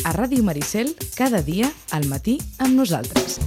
A Ràdio Maricel, cada dia, al matí, amb nosaltres.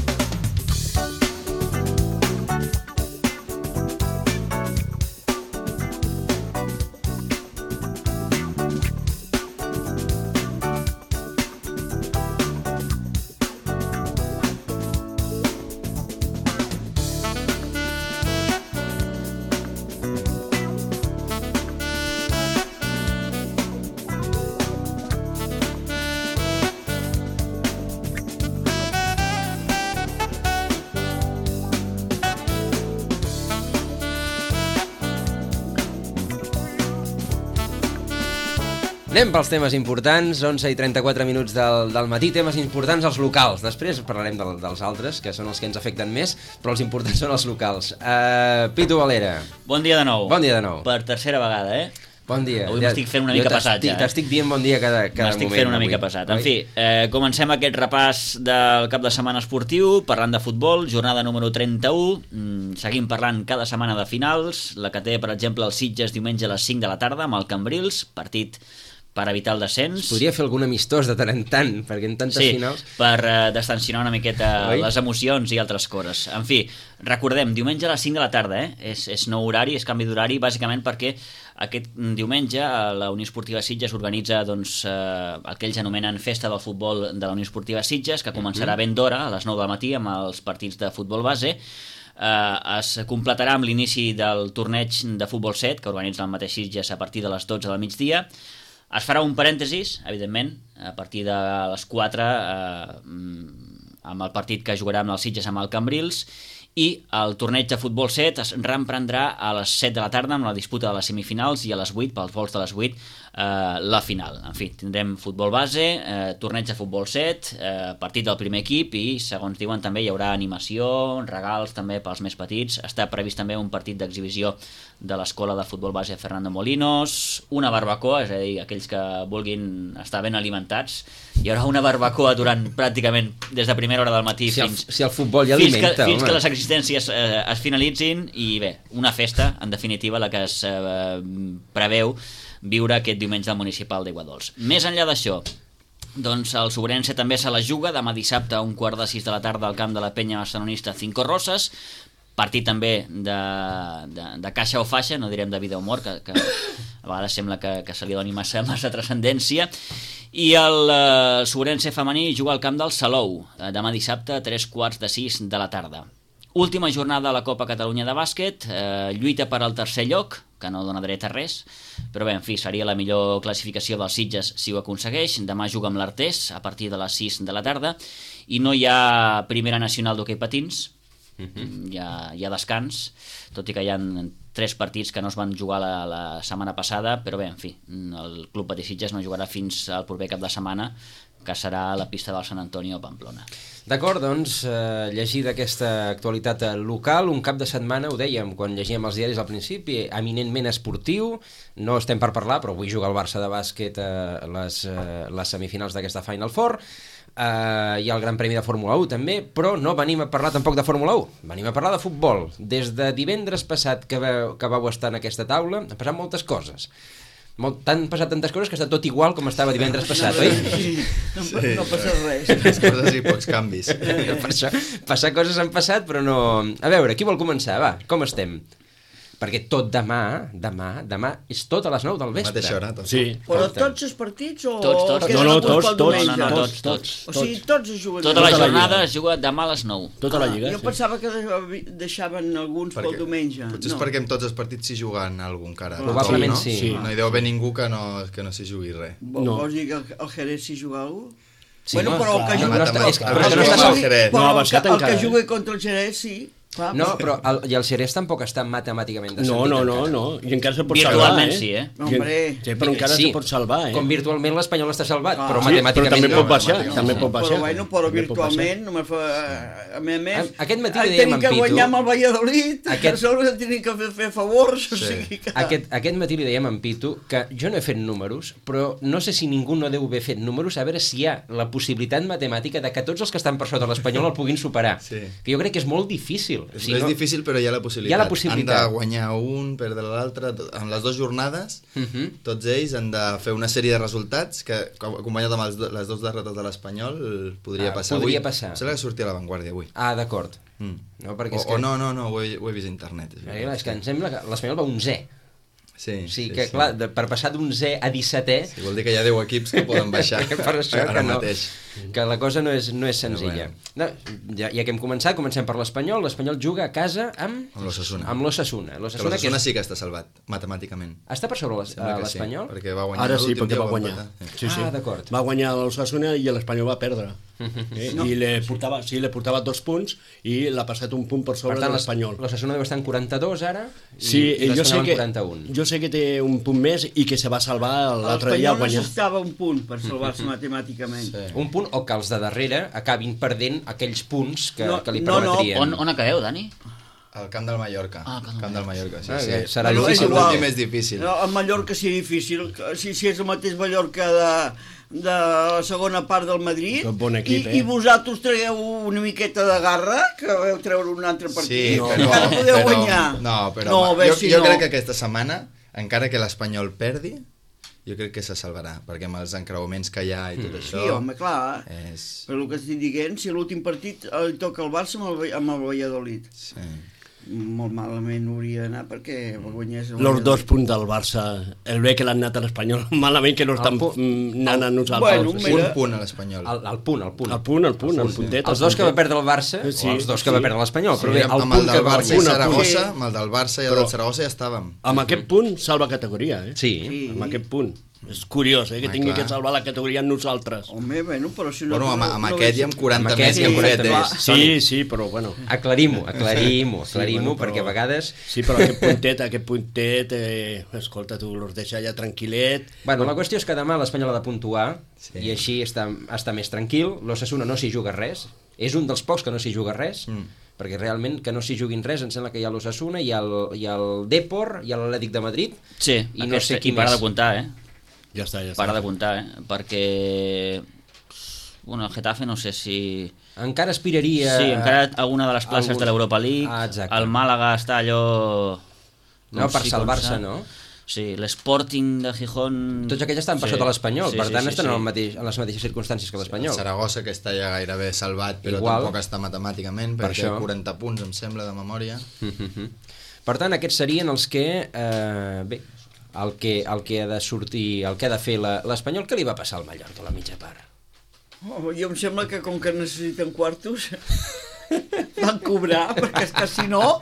Anem pels temes importants, 11:34 del matí, temes importants als locals. Després parlarem dels altres, que són els que ens afecten més, però els importants són els locals. Pitu Valera. Bon dia de nou. Bon dia de nou. Per tercera vegada, Bon dia. Avui m'estic fent una mica pesat, ja. T'estic dient bon dia cada moment. M'estic fent una mica pesat. En fi, comencem aquest repàs del cap de setmana esportiu, parlant de futbol, jornada número 31. Seguim parlant cada setmana de finals. La que té, per exemple, el Sitges diumenge a les 5 de la tarda amb el Cambrils, partit per evitar el descens. Podria fer algun amistós de tant en tant, perquè en tantes finals... Sí, per destensionar una miqueta les emocions i altres coses. En fi, recordem, diumenge a les 5 de la tarda, és nou horari, és canvi d'horari, bàsicament perquè aquest diumenge la Unió Esportiva Sitges organitza el que ells anomenen Festa del Futbol de la Unió Esportiva Sitges, que començarà ben d'hora, a les 9 del matí, amb els partits de futbol base. Es completarà amb l'inici del torneig de futbol 7, que organitza el mateix Sitges a partir de les 12 del migdia. Es farà un parèntesis, evidentment, a partir de les 4, amb el partit que jugarà amb el Sitges amb el Cambrils, i el torneig de futbol 7 es reemprendrà a les 7 de la tarda amb la disputa de les semifinals i a les 8, pels vols de les 8, la final. En fi, tindrem futbol base, torneig de futbol 7, partit del primer equip i, segons diuen, també hi haurà animació, regals també pels més petits. Està previst també un partit d'exhibició de l'escola de futbol base Fernando Molinos, una barbacoa, és a dir, aquells que vulguin estar ben alimentats. Hi haurà una barbacoa durant pràcticament des de primera hora del matí si el futbol ja alimenta, fins que les existències es finalitzin i bé, una festa, en definitiva, la que es preveu viure aquest diumenge al municipal d'Aiguadols. Més enllà d'això, doncs el Sobrense també se la juga demà dissabte a 5:15 de la tarda al camp de la penya barcelonista Cinco Roses, partit també de caixa o faixa, no direm de vida o mort, que a vegades sembla que se li doni massa transcendència. I el Sobrense femení juga al camp del Salou demà dissabte a 5:45 de la tarda. Última jornada a la Copa Catalunya de bàsquet, lluita per al tercer lloc, que no dona dret a res, però bé, en fi, seria la millor classificació dels Sitges si ho aconsegueix. Demà juga amb l'Artés a partir de les 6 de la tarda i no hi ha primera nacional d'hoquei patins, hi ha descans, tot i que hi ha 3 partits que no es van jugar la setmana passada, però bé, en fi, el Club Patí Sitges no jugarà fins al proper cap de setmana, que serà a la pista del Sant Antonio a Pamplona. D'acord, doncs, llegir d'aquesta actualitat local, un cap de setmana, ho dèiem quan llegíem els diaris al principi, eminentment esportiu, no estem per parlar, però avui juga el Barça de bàsquet a les semifinals d'aquesta Final Four, hi ha el Gran Premi de Fórmula 1 també, però no venim a parlar tampoc de Fórmula 1, venim a parlar de futbol. Des de divendres passat que vau estar en aquesta taula han passat moltes coses. Han passat tantes coses que està tot igual com estava divendres passat, oi? Sí, no passa res. Poques coses i pocs canvis. Per això, passar coses han passat, però no... A veure, qui vol començar? Va, com estem? Perquè tot demà és tot a les 9 del vespre. Mateixa hora, tot. Sí. Però tots els partits o... Tots. No, Tots. O sigui, tots es juguen. Tota la jornada es juga demà a les 9. Tota la lliga, Jo pensava que deixaven alguns pel diumenge. Potser és perquè en tots els partits s'hi juguen algun encara. Probablement no? sí. No hi deu haver ningú que no s'hi jugui res. Vols dir que el Jerez s'hi juga algú? Sí, Bueno, però el que juga contra el Jerez sí. Clar, no, però el Xerès tampoc està matemàticament descendit. No, i encara se pot salvar, virtualment sí, Sí, però encara se pot salvar, Com virtualment l'Espanyol està salvat, però sí, matemàticament però també pot baixar. Però virtualment, a més, aquest matí li dèiem en Pitu... Tenim que guanyar amb el Valladolid, que sobre tenim que fer favors, o sigui que... Aquest matí li dèiem en Pitu que jo no he fet números, però no sé si ningú no deu haver fet números, a veure si hi ha la possibilitat matemàtica de que tots els que estan per sota l'Espanyol el puguin superar. Que jo crec que és molt difícil. difícil. És difícil, però hi ha la possibilitat. Hi ha la possibilitat. Han de guanyar un, perdre l'altre. En les 2 jornades, tots ells han de fer una sèrie de resultats que, acompanyat amb les 2 derrotes de l'Espanyol, podria passar. Podria passar. Em sembla que sortia a l'Avantguàrdia avui. Ah, d'acord. No, no, ho he vist a internet. És que em sembla que l'Espanyol va 11è. Sí, que clar, per passar d'11è a 17è... Sí, vol dir que hi ha 10 equips que poden baixar per això ara que no, mateix. Que la cosa no és senzilla. Bueno. No, ja que hem començat, comencem per l'Espanyol. L'Espanyol juga a casa amb l'Osasuna. Amb l'Osasuna. L'Osasuna sí que està salvat, matemàticament. Està per sobre l'Espanyol? Sí, perquè va guanyar ara sí, l'últim perquè dia. va guanyar. Sí. Ah, d'acord. Va guanyar l'Osasuna i l'Espanyol va perdre. I li portava 2 punts i l'ha passat un punt per sobre de l'Espanyol. L'Osasuna deu estar en 42 ara i l'Espanyol en 41. Jo sé que té un punt més i que se va salvar l'altre dia a guanyar. L'Espanyol necessitava un punt per salvar-se matemàticament. Sí. Un punt o que els de darrere acabin perdent aquells punts que li permetrien. On acabeu, Dani? Al camp del Mallorca. Camp del Mallorca, sí. Serà difícil. L'últim és difícil. No, el Mallorca sí difícil. Si és el mateix Mallorca de la segona part del Madrid, bon equip, i vosaltres traieu una miqueta de garra, que vau treure un altre partit, sí, encara podeu guanyar. Jo crec que aquesta setmana, encara que l'Espanyol perdi, jo crec que se salvarà, perquè amb els encreuaments que hi ha i tot això... Sí, home, clar. Però el que estic dient, si l'últim partit li toca al Barça amb el Valladolid. Sí. Molt malament hauria d'anar perquè guanyés... Els 2 punts del Barça, el bé que l'han anat a l'Espanyol, malament que no estan anant a nosaltres. Un punt a l'Espanyol. El punt. El puntet. Els 2 que va perdre el Barça, o els 2 que va perdre l'Espanyol, però bé, el punt que va guanyar. Amb el del Barça i el del Saragossa ja estàvem. Amb aquest punt salva categoria, eh? Sí. Amb aquest punt. És curiós, que tingui que salvar la categoria amb nosaltres. Home, però si no... Bueno, amb aquest i amb 40 més i amb 40 més. Sí, però bueno... Aclarim-ho, perquè a vegades... Sí, però aquest puntet, escolta, tu los deixa ja tranquil·let... Bueno, la qüestió és que demà l'Espanyol ha de puntuar i així està més tranquil. L'Osasuna no s'hi juga res. És un dels pocs que no s'hi juga res, perquè realment que no s'hi juguin res, em sembla que hi ha l'Osasuna, hi ha el Depor, hi ha l'Atlètic de Madrid... Sí, i no sé qui para més. De comptar, Ja està. Para de comptar, perquè... Bueno, el Getafe no sé si... Encara aspiraria... Sí, encara alguna de les places de l'Europa League. El Màlaga està allò... No, per salvar-se, no? Sí, l'Sporting de Gijón... Tots aquells estan per sota l'Espanyol, per tant estan en les mateixes circumstàncies que l'Espanyol. El Saragossa, que està ja gairebé salvat, però tampoc està matemàticament, perquè té 40 punts, em sembla, de memòria. Per tant, aquests serien els que... Bé, el que ha de sortir, el que ha de fer l'Espanyol. Què li va passar al Mallorca a la mitja part? Jo em sembla que com que necessiten quartos van cobrar, perquè és que si no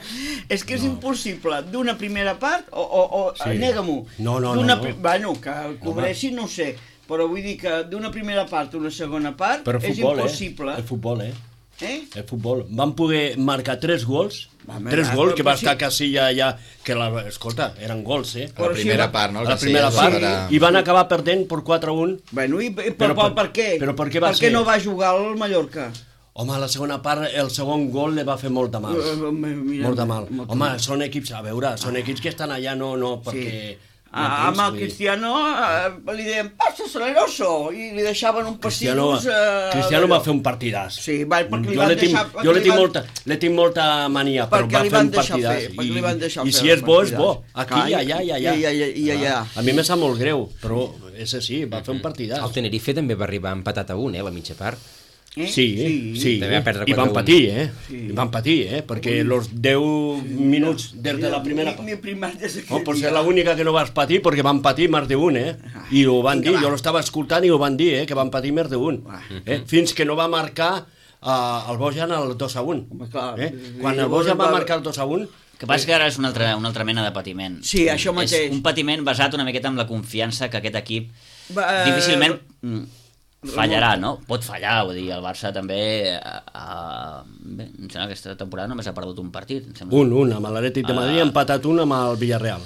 és que és impossible d'una primera part nega-m'ho. No. Bueno, que el cobreixin no sé, però vull dir que d'una primera part a una segona part és impossible. El futbol, el futbol. Van poder marcar 3 gols, que va estar Casilla allà, que escolta, eren gols, a la primera part, no? A la primera part, i van acabar perdent per 4-1. Bueno, i per què? Però per què va ser? Per què no va jugar al Mallorca? Home, a la segona part, el segon gol li va fer molt de mal. Molt de mal. Home, són equips, a veure, són equips que estan allà no perquè... Amb el Cristiano li deien passa Saleroso i li deixaven un passidus. Cristiano va fer un partidàs. Sí, perquè li van deixar... Jo li tinc molta mania, però va fer un partidàs. I si és bo, és bo. Aquí, allà. A mi me sap molt greu, però és així, va fer un partidàs. El Tenerife també va arribar empatat a 1, la mitja part. Sí. I van patir, van patir, perquè els 10 minuts des de la primera... Potser l'única que no vas patir, perquè van patir més d'un, i ho van dir, jo l'estava escoltant i ho van dir, que van patir més d'un, fins que no va marcar el Bojan el 2-1. Quan el Bojan va marcar el 2-1... El que passa que ara és una altra mena de patiment. Sí, això mateix. És un patiment basat una miqueta en la confiança que aquest equip difícilment... fallarà, no? Pot fallar, vull dir, el Barça també bé, em sembla que aquesta temporada només ha perdut un partit, em sembla. Amb l'Atlètic de Madrid, ha empatat un amb el Villarreal.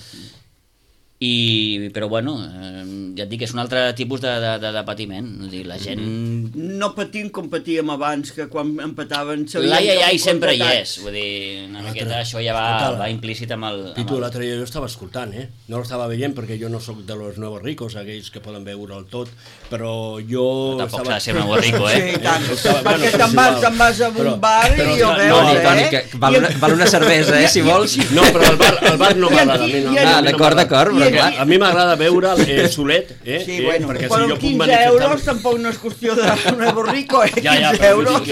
Però bueno, ja et dic, és un altre tipus de patiment. La gent... No patim com patíem abans, que quan empataven... L'ai sempre hi és, vull dir, una miqueta això ja va implícit amb el... Pitu, l'altre dia jo estava escoltant, no l'estava veient perquè jo no sóc de los nuevos ricos, aquells que poden veure el tot, però jo... Tampoc s'ha de ser nuevo rico, Sí, tant, perquè te'n vas a un bar i ho veus, Toni, que val una cervesa, si vols. No, però el bar no m'agrada. D'acord, però clar. A mi m'agrada veure el Solet, Sí, bueno, però 15 euros tampoc no és qüestió de nuevo rico, 15 euros...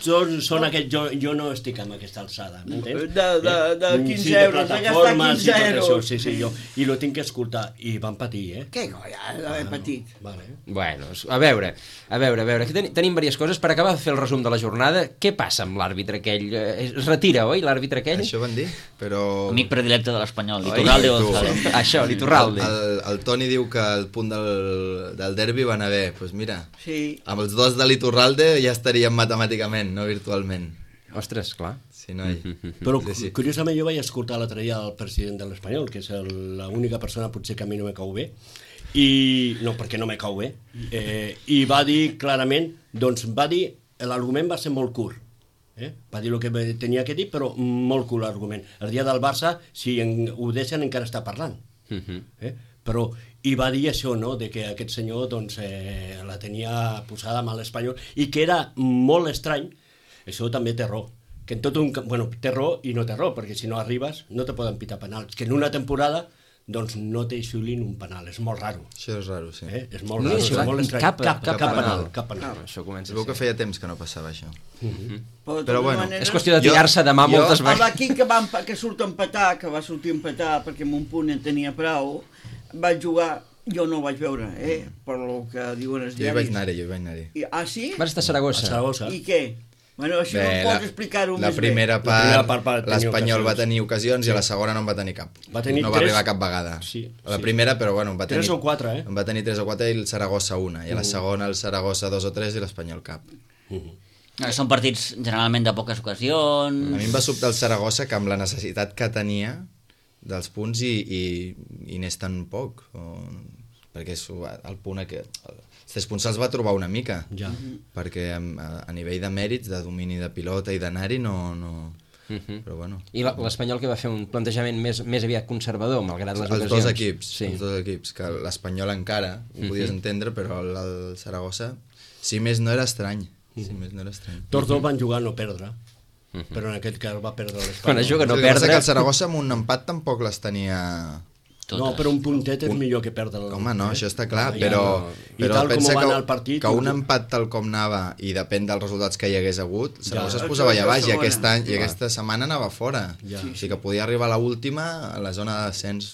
Són aquests, jo no estic amb aquesta alçada, m'entens? De 15 euros, de gastar 15 euros. Sí, i lo tinc que escoltar, i van patir, Què colla, d'haver patit? Bueno, a veure, que tenim diverses coses. Per acabar de fer el resum de la jornada, què passa amb l'àrbitre aquell? Es retira, oi, l'àrbitre aquell? Això van dir, però... Amic predilecte de l'Espanyol, Liturralde González. Això, Liturralde. El Toni diu que el punt del derbi va anar bé. Doncs mira, amb els dos de l'Iturralde ja estaríem matemàticament, no virtualment. Ostres, clar. Sí, noi. Però curiosament jo vaig escoltar l'altre dia el president de l'Espanyol, que és l'única persona potser que a mi no me cau bé, no, perquè no me cau bé, i va dir clarament, l'argument va ser molt curt, va dir el que tenia que dir, però molt curt l'argument. El dia del Barça, si ho deixen, encara està parlant. Però, i va dir això, no?, de que aquest senyor la tenia posada amb l'Espanyol, i que era molt estrany, això també té raó, que en tot té raó i no té raó, perquè si no arribes no te poden pitar penals, que en una temporada no te xiulin un penal, és molt raro. Això és raro, sí. És molt raro, és molt estrany. Cap penal. Això comença a ser. Veu que feia temps que no passava això. Però bueno, és qüestió de tirar-se demà moltes vegades. L'equip que surt a empatar, que va sortir a empatar perquè amb un punt en tenia prou, vaig jugar, jo no ho vaig veure, per el que diuen els diaris. Jo hi vaig anar-hi. Ah, sí? Vas estar a Saragossa. I què? Bueno, això no pots explicar-ho més bé. La primera part l'Espanyol va tenir ocasions i a la segona no en va tenir cap. No va arribar cap vegada. A la primera, però bueno, en va tenir 3 o 4, En va tenir 3 o 4 i el Saragossa una. I a la segona el Saragossa 2 o 3 i l'Espanyol cap. Són partits generalment de poques ocasions... A mi em va sobtar el Saragossa que amb la necessitat que tenia dels punts i n'és tan poc. Perquè el punt els 3 punts se'ls va trobar una mica, perquè a nivell de mèrits, de domini de pilota i d'anar-hi no... Però bueno. I l'Espanyol que va fer un plantejament més aviat conservador, malgrat les ocasions. Els dos equips, que l'Espanyol encara ho podies entendre, però el Saragossa, si més no era estrany. Tots dos van jugar a no perdre, però en aquest cas va perdre l'Espanyol. Quan es juga a no perdre... Que el Saragossa amb un empat tampoc les tenia... No, però un puntet és millor que perdre. Home, no, això està clar, però pensa que un empat tal com anava i depèn dels resultats que hi hagués hagut, Saragossa es posava allà baix i aquesta setmana anava fora. O sigui que podia arribar a l'última a la zona de descens.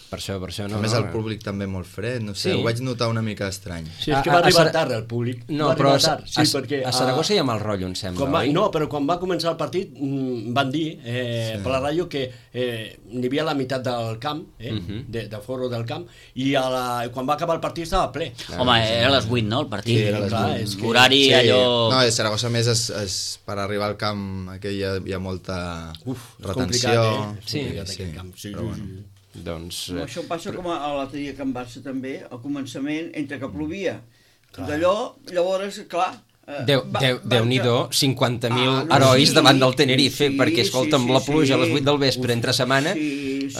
Per això no. A més el públic també molt fred, no sé, ho vaig notar una mica estrany. Sí, és que va arribar tard el públic. No, però a Saragossa hi ha mal rotllo, em sembla, oi? No, però quan va començar el partit van dir per la ràdio que n'hi havia la meitat del camp, de foro del camp, i quan va acabar el partit estava ple. Home, era a les 8, no, el partit? Sí, era a les 8. Horari allò... No, a Saragossa més per arribar al camp aquí hi ha molta retenció. Sí, però bueno. Això passa com a l'altre dia que en Barça també, al començament, entre que plovia. D'allò, llavors, clar... Déu-n'hi-do, 50.000 herois davant del Tenerife, perquè, escolta'm, la pluja a les 8 del vespre entre setmana,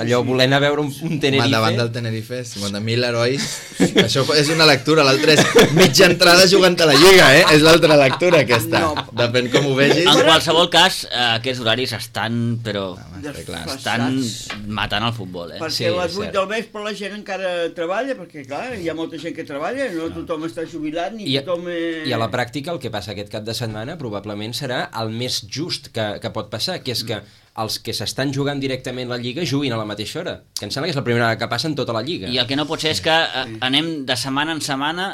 allò volent a veure un Tenerife... Davant del Tenerife, 50.000 herois, això és una lectura, l'altra és mitja entrada jugant a la Lliga, és l'altra lectura aquesta, depèn com ho vegis. En qualsevol cas, aquests horaris estan, però... estan matant el futbol, Perquè a les 8 del vespre la gent encara treballa, perquè, clar, hi ha molta gent que treballa, no tothom està jubilat, ni tothom... I a la pràctica el que passa aquest cap de setmana probablement serà el més just que pot passar, que és que els que s'estan jugant directament la Lliga juguin a la mateixa hora, que em sembla que és la primera que passa en tota la Lliga. I el que no pot ser és que anem de setmana en setmana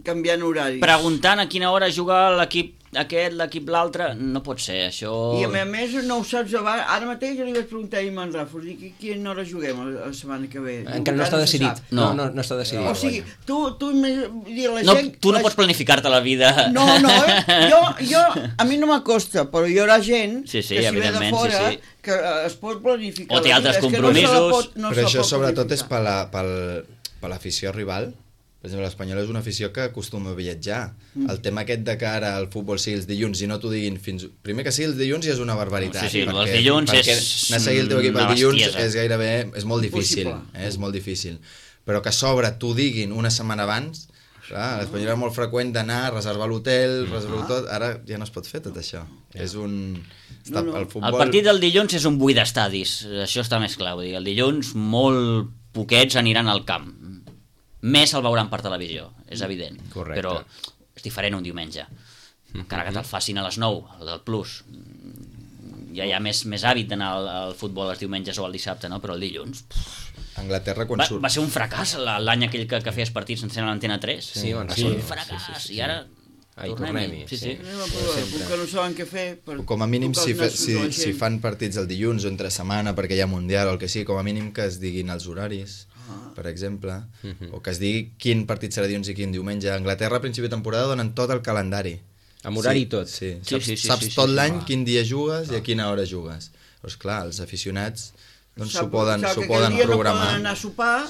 canviant horaris, preguntant a quina hora juga l'equip aquest, l'equip l'altre, no pot ser, això... I a més no ho saps abans, ara mateix li vaig preguntar a Iman Rafos, dic, quina hora juguem la setmana que ve? Encara no està decidit. No està decidit. O sigui, tu la gent... Tu no pots planificar-te la vida... No, jo, a mi no m'acosta, però hi haurà gent que si ve de fora que es pot planificar. O té altres compromisos. Però això sobretot és per l'afició rival. Per exemple, l'Espanyol és una afició que acostuma a viatjar. El tema aquest de que ara el futbol sigui els dilluns i no t'ho diguin fins... Primer que sigui els dilluns ja és una barbaritat. Sí, els dilluns és anar a seguir el teu equip el dilluns és gairebé... És molt difícil. És molt difícil. Però que a sobre t'ho diguin una setmana abans... Clar, l'Espanyol era molt freqüent d'anar, reservar l'hotel, reservar tot... Ara ja no es pot fer tot això. És un... El partit del dilluns és un buit d'estadis. Això està més clar. Vull dir, el dilluns molt poquets aniran al camp. Més el veuran per televisió, és evident. Correcte. Però és diferent un diumenge. Encara que te'l facin a les 9, el del Plus. Ja hi ha més hàbit d'anar al futbol els diumenges o el dissabte, no? Però el dilluns... Anglaterra quan surt... Va ser un fracàs l'any aquell que feies partits sense l'Antena 3. Sí, va ser un fracàs. I ara... Tornem-hi. Sí. Que no saben què fer... Com a mínim, si fan partits el dilluns o entre setmana perquè hi ha Mundial o el que sigui, com a mínim que es diguin els horaris, per exemple, o que es digui quin partit serà dilluns i quin diumenge. A Anglaterra, a principi de temporada, donen tot el calendari. Amb horari i tot. Sí. Saps tot l'any quin dia jugues i a quina hora jugues. Però, esclar, els aficionats... doncs s'ho poden programar. No poden anar a sopar,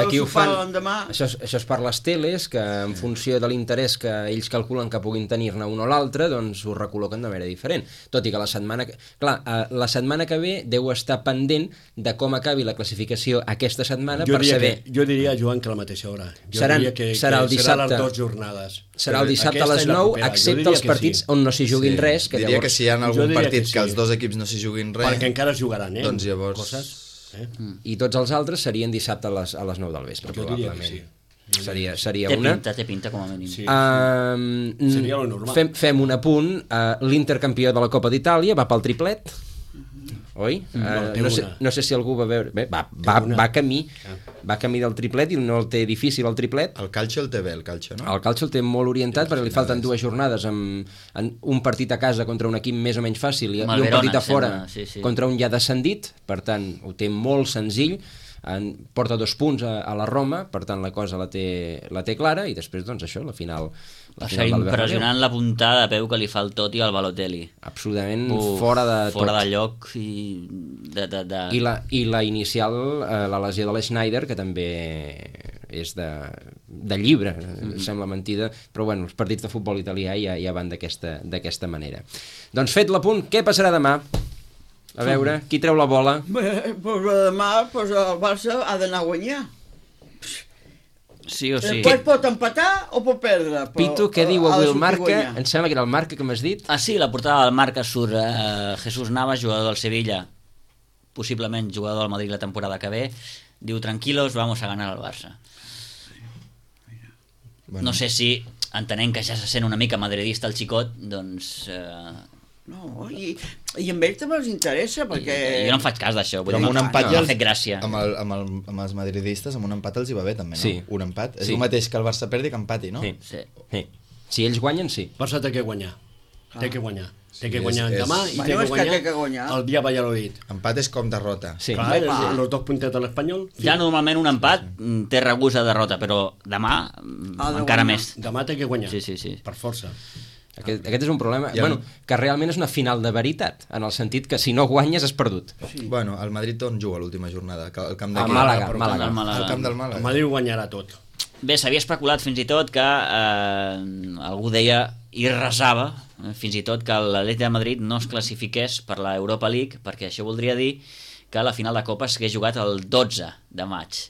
aquí ho fan. Això és per les teles, que en funció de l'interès que ells calculen que puguin tenir-ne un o l'altre, doncs ho recol·loquen de manera diferent. Tot i que la setmana que ve deu estar pendent de com acabi la classificació aquesta setmana per saber... Jo diria, Joan, que a la mateixa hora. Serà el dissabte. Serà les 2 jornades. Serà el dissabte a les 9, excepte els partits on no s'hi juguin res. Diria que si hi ha algun partit que els dos equips no s'hi juguin res... Perquè encara es jugaran, doncs llavors... I tots els altres serien dissabte a les 9 del vespre, probablement. Seria una... Té pinta com a mínim. Seria lo normal. Fem un apunt. L'Intercampió de la Copa d'Itàlia va pel triplet, oi? No sé si algú va veure... Bé, va camí del triplet i no el té difícil el triplet. El calcio el té bé, el calcio, no? El calcio el té molt orientat perquè li falten 2 jornades amb un partit a casa contra un equip més o menys fàcil i un partit a fora contra un ja descendit, per tant ho té molt senzill, porta 2 punts a la Roma, per tant la cosa la té clara i després doncs això, la final va ser impressionant la puntada de peu que li fa el Totti al Balotelli, absolutament fora de lloc i la inicial, la lesió de l'Schneider, que també és de llibre, sembla mentida, però bueno, els partits de futbol italià ja van d'aquesta manera. Doncs fet l'apunt, què passarà demà? A veure, qui treu la bola? Demà el Barça ha d'anar a guanyar. Sí o sí. Després pot empatar o pot perdre. Pitu, què diu avui el Marca? Em sembla que era el Marca que m'has dit. Sí, la portada del Marca surt Jesús Navas, jugador del Sevilla, possiblement jugador del Madrid la temporada que ve. Diu, tranquilos, vamos a ganar al Barça. No sé si, entenent que ja se sent una mica madridista el xicot, doncs... No, i amb ell també els interessa, perquè... Jo no em faig cas d'això, però amb un empat ja m'ha fet gràcia. Amb els madridistes, amb un empat els hi va bé també, no? Sí. Un empat. És el mateix que el Barça perdi que empati, no? Sí. Si ells guanyen, sí. Barça té que guanyar. Té que guanyar. Té que guanyar demà i té que guanyar el dia Valladolid. Empat és com derrota. Sí. Clar, els 2 puntets de l'Espanyol. Ja normalment un empat té regust de derrota, però demà encara més. Demà té que guanyar. Sí. Per força. Aquest és un problema, que realment és una final de veritat, en el sentit que si no guanyes has perdut. Bueno, el Madrid on juga l'última jornada? El camp d'aquí. Màlaga. El camp del Màlaga. El Madrid guanyarà tot. Bé, s'havia especulat fins i tot que algú deia i resava fins i tot que l'Atlètic de Madrid no es classifiqués per la Europa League, perquè això voldria dir que la final de Copa s'hagués jugat el 12 de maig.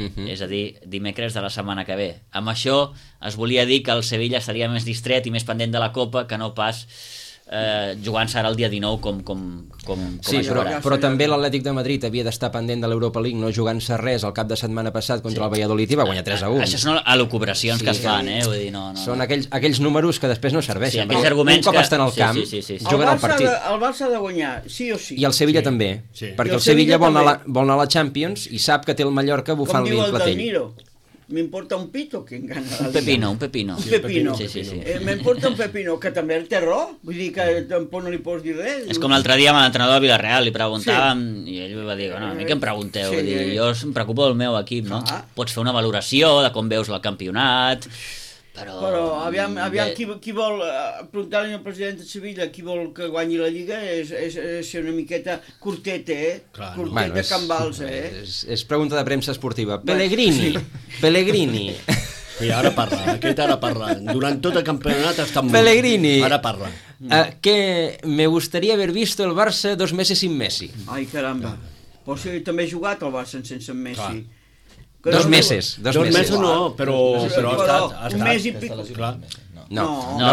És a dir, dimecres de la setmana que ve. Amb això es volia dir que el Sevilla estaria més distret i més pendent de la Copa que no pas jugant-se ara el dia 19 com sí, però també l'Atlètic de Madrid havia d'estar pendent de l'Europa League, no jugant-se res el cap de setmana passat contra el Valladolid i va guanyar 3-1. Això són elucubracions que es fan, vull dir, no. Són aquells números que després no serveixen. Aquells arguments un cop estan al camp, juguen al partit. El Barça ha de guanyar, sí o sí. I el Sevilla també, perquè el Sevilla vol anar a la Champions i sap que té el Mallorca bufant-li el clatell. M'importa un pito que gana un pepino. Sí. M'importa un pepino, que també el té raó, vull dir que tampoc no li pots dir res. És com l'altre dia amb l'entrenador de Villarreal, li preguntàvem, i ell va dir, no, a mi què em pregunteu? Jo em preocupo del meu equip, no? Pots fer una valoració de com veus el campionat, Però aviam qui vol, preguntar-li al president de Sevilla qui vol que guanyi la Lliga és ser una miqueta curtet, curtet Can Vals, És pregunta de premsa esportiva. Pellegrini. I ara parla. Durant tot el campionat està molt. Pellegrini. Ara parla. Que me gustaría haber visto el Barça 2 meses sin Messi. Ai, caramba. Però si també he jugat al Barça sense Messi. 2 mesos. 2 mesos no, però ha estat. Un mes i pico. No,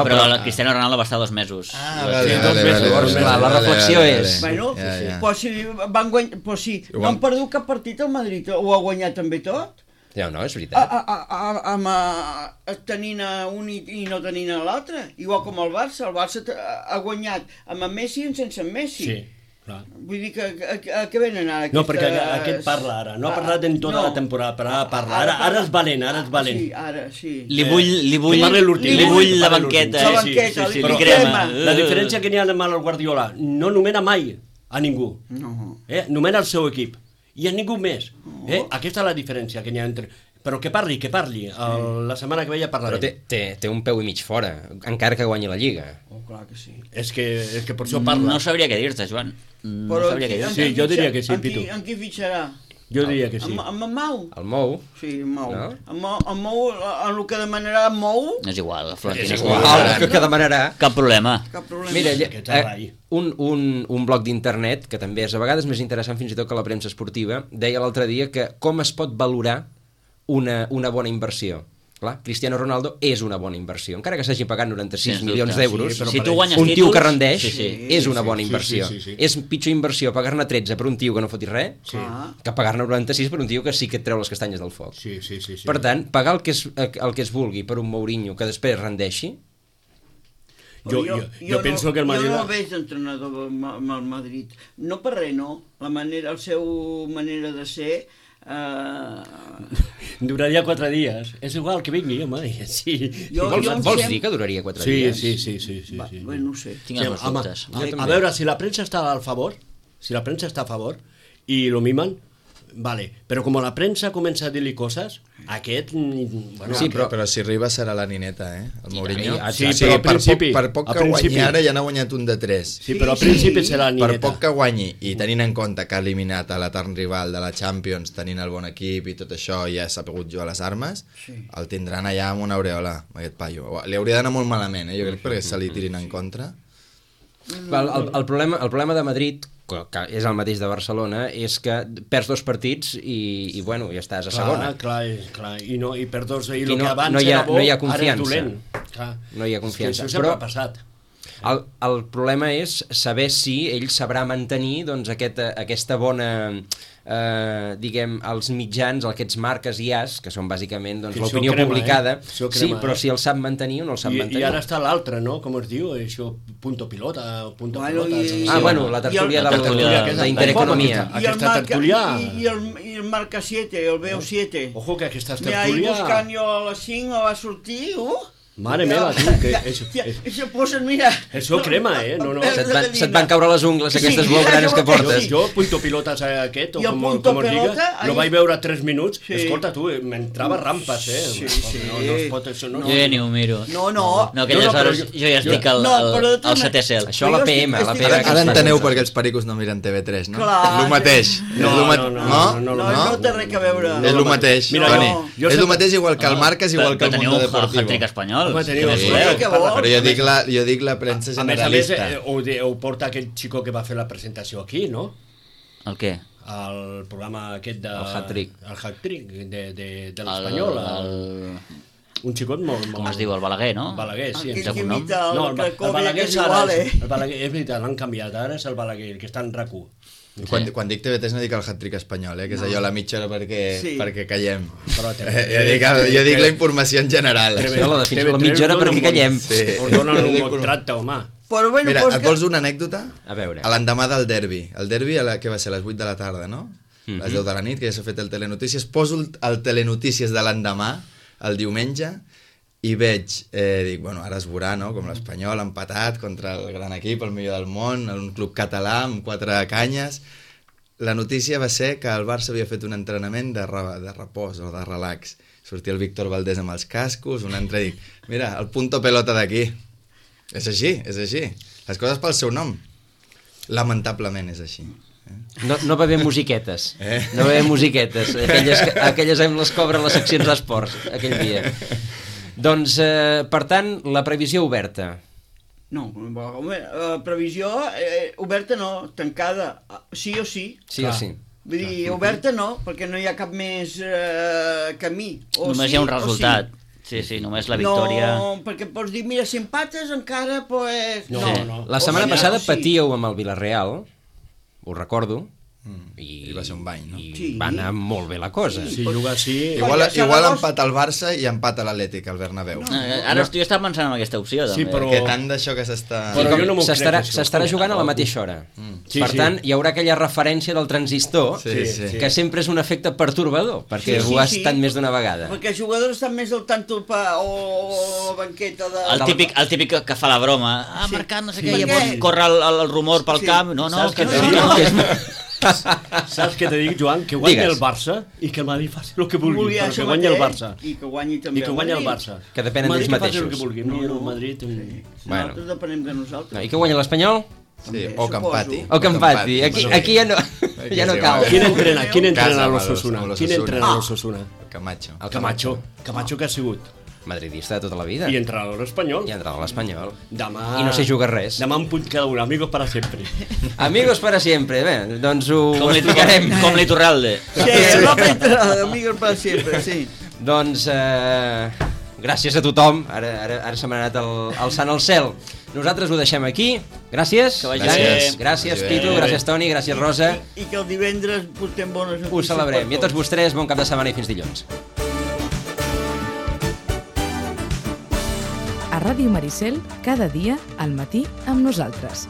però el Cristiano Ronaldo va estar 2 mesos. La reflexió és... Bueno, però si no han perdut cap partit al Madrid, ho ha guanyat també tot? No, és veritat. Tenint un i no tenint l'altre. Igual com el Barça ha guanyat amb Messi i sense Messi. Sí. Vull dir que a què venen ara? No, perquè aquest parla ara. No ha parlat en tota la temporada, però ara parla. Ara és valent. Sí, ara, sí. Li vull la banqueta. La banqueta, li crema. La diferència que n'hi ha amb el Guardiola, no nomena mai a ningú. Nomena el seu equip. I a ningú més. Aquesta és la diferència que n'hi ha entre... Però que parli. La setmana que ve ja parlarem. Però té un peu i mig fora, encara que guanyi la Lliga. Clar que sí. És que per això parla. No sabria què dir-te, Joan. Sí, jo diria que sí, Pitu. En qui fitxarà? Jo diria que sí. Amb en Mau? El Mou? Sí, en Mau. En Mau, en el que demanarà en Mou... És igual, Florentino. És igual, el que demanarà. Cap problema. Mira, un blog d'internet, que també és a vegades més interessant fins i tot que la premsa esportiva, deia l'altre dia que com es pot valorar una bona inversió. Clar, Cristiano Ronaldo és una bona inversió. Encara que s'hagi pagat 96 milions d'euros, si tu guanyes un tio títols, que rendeix és una bona sí, inversió. sí. És pitjor inversió pagar-ne 13 per un tio que no fotis res que pagar-ne 96 per un tio que sí que et treu les castanyes del foc. Sí. Per tant, pagar el que es vulgui per un Mourinho que després rendeixi... Jo penso que el Madrid... Jo no el veig d'entrenador amb el Madrid. No per res, no. El seu manera de ser... Duraria 4 dies. És igual que vingui, home. Sí. Vols dir que duraria 4 dies? Sí. Bé, no ho sé. Tinc els meus dubtes. A veure, si la premsa està a favor i lo mimen, vale, però com la premsa comença a dir-li coses, aquest... Bueno, sí, però si arriba serà la nineta, el Mourinho. Sí, però al principi... Per poc que guanyi ara ja n'ha guanyat un de 3. Sí, però al principi serà la nineta. Per poc que guanyi, i tenint en compte que ha eliminat a l'etern rival de la Champions, tenint el bon equip i tot això, i ja s'ha pogut jugar les armes, el tindran allà amb una aureola, aquest paio. Li hauria d'anar molt malament, jo crec, perquè se li tirin en contra. El problema de Madrid, que és el mateix de Barcelona, és que perds 2 partits i bueno, ja estàs a segona. Clar, i per 2, i el que abans era bo, no hi ha ara és confiança. dolent. No hi ha confiança. Això sempre ha passat. El problema és saber si ell sabrà mantenir doncs, aquesta bona... diguem, els mitjans, aquests marques i as, que són bàsicament doncs, l'opinió publicada, sí, però si el sap mantenir o no el sap mantenir. I ara està l'altre, no? Com es diu? Això, punto pilota. Bueno, la tertúlia d'Intereconomia. Aquesta tertúlia... I el marca 7, el veu 7. Ojo, que aquesta tertúlia... Ahí buscant jo a les 5 va sortir, Mare meva, tu, que... Això posen, mira... Això crema, no. Se't van caure les ungles, aquestes blaugranes que portes. Jo, punto pilotes aquest, o com es diga, lo vaig veure 3 minuts. Escolta, tu, m'entrava rampes, Sí. No es pot, això no... Jo ja ni ho miro. No, aquelles hores jo ja estic al setè cel. Això a la PM. Ara enteneu per què els pericos no miren TV3, no? És el mateix. No té res a veure. És el mateix, Toni. És el mateix igual que el Marques, igual que el Mundo Deportivo. Teniu un hat-trick espanyol. Però jo dic la premsa generalista. A més, ho porta aquell xico que va fer la presentació aquí, no? El què? El programa aquest de... El hat-trick. El hat-trick de l'Espanyol. Un xicot molt... Com es diu? El Balaguer, no? Balaguer, sí. Aquell que imita el Balaguer és igual, El Balaguer, és veritat, l'han canviat. Ara és el Balaguer, el que està en RAC1. Quan dic TV3 no dic el hat-trick espanyol, que és allò la mitja hora perquè callem. Jo dic la informació en general. La mitja hora perquè callem. Us donen un contracte, home. Mira, et vols una anècdota? A veure. L'endemà del derbi. El derbi, que va ser a les 8 de la tarda, no? A les 10 de la nit, que ja s'ha fet el Telenotícies. Poso el Telenotícies de l'endemà, el diumenge, i veig, dic, bueno, ara es veurà, no?, com l'Espanyol empatat contra el gran equip, el millor del món, un club català amb 4 canyes, la notícia va ser que el Barça havia fet un entrenament de repòs o de relax. Sortia el Víctor Valdés amb els cascos, un altre dic, mira, el punto pelota d'aquí. És així, és així. Les coses pel seu nom. Lamentablement és així. No va haver musiquetes. No va haver musiquetes. Aquelles amb les cobren les seccions d'esports aquell dia. Doncs, per tant, la previsió oberta. No, previsió oberta no, tancada, sí o sí. Sí o sí. Vull dir, oberta no, perquè no hi ha cap més camí. Només hi ha un resultat. Sí, només la victòria... No, perquè pots dir, mira, si empates encara, pues... No. La setmana passada patíeu amb el Villarreal, ho recordo, I va ser un bany, no? I va anar molt bé la cosa. Si juga així... Igual empat al Barça i empat a l'Atlètic, al Bernabéu. Ara jo estava pensant en aquesta opció, també. Sí, però... Que tant d'això que s'està... S'estarà jugant a la mateixa hora. Per tant, hi haurà aquella referència del transistor, que sempre és un efecte pertorbador, perquè ho ha estat més d'una vegada. Perquè els jugadors estan més al tanto o banqueta de... El típic que fa la broma. Ha marcat no sé què, llavors corre el rumor pel camp. No, que Saps què te dic, Joan? Que guanyi el Barça i que el Madrid faci el que vulgui, però que guanyi el Barça. I que guanyi també el Barça. Que depenen d'ells mateixos. Madrid que faci el que vulgui. No, Madrid... Nosaltres depenem de nosaltres. I que guanyi l'Espanyol? Sí, o que empati. O que empati. Aquí ja no cal. Qui entrena l'Osasuna? Qui entrena l'Osasuna? Camacho. Camacho que ha sigut madridista de tota la vida. I entrenador espanyol. I no sé jugar res. Demà en punt cada un. Amigos para siempre. Amigos para siempre. Bé, doncs ho explicarem. Com l'Iturralde. Sí, amigos para siempre, sí. Doncs gràcies a tothom. Ara se m'ha anat alçant al cel. Nosaltres ho deixem aquí. Gràcies. Gràcies, Pitu. Gràcies, Toni. Gràcies, Rosa. I que el divendres portem bones notícies. Ho celebrem. I a tots vostès, bon cap de setmana i fins dilluns. A Ràdio Maricel, cada dia, al matí, amb nosaltres.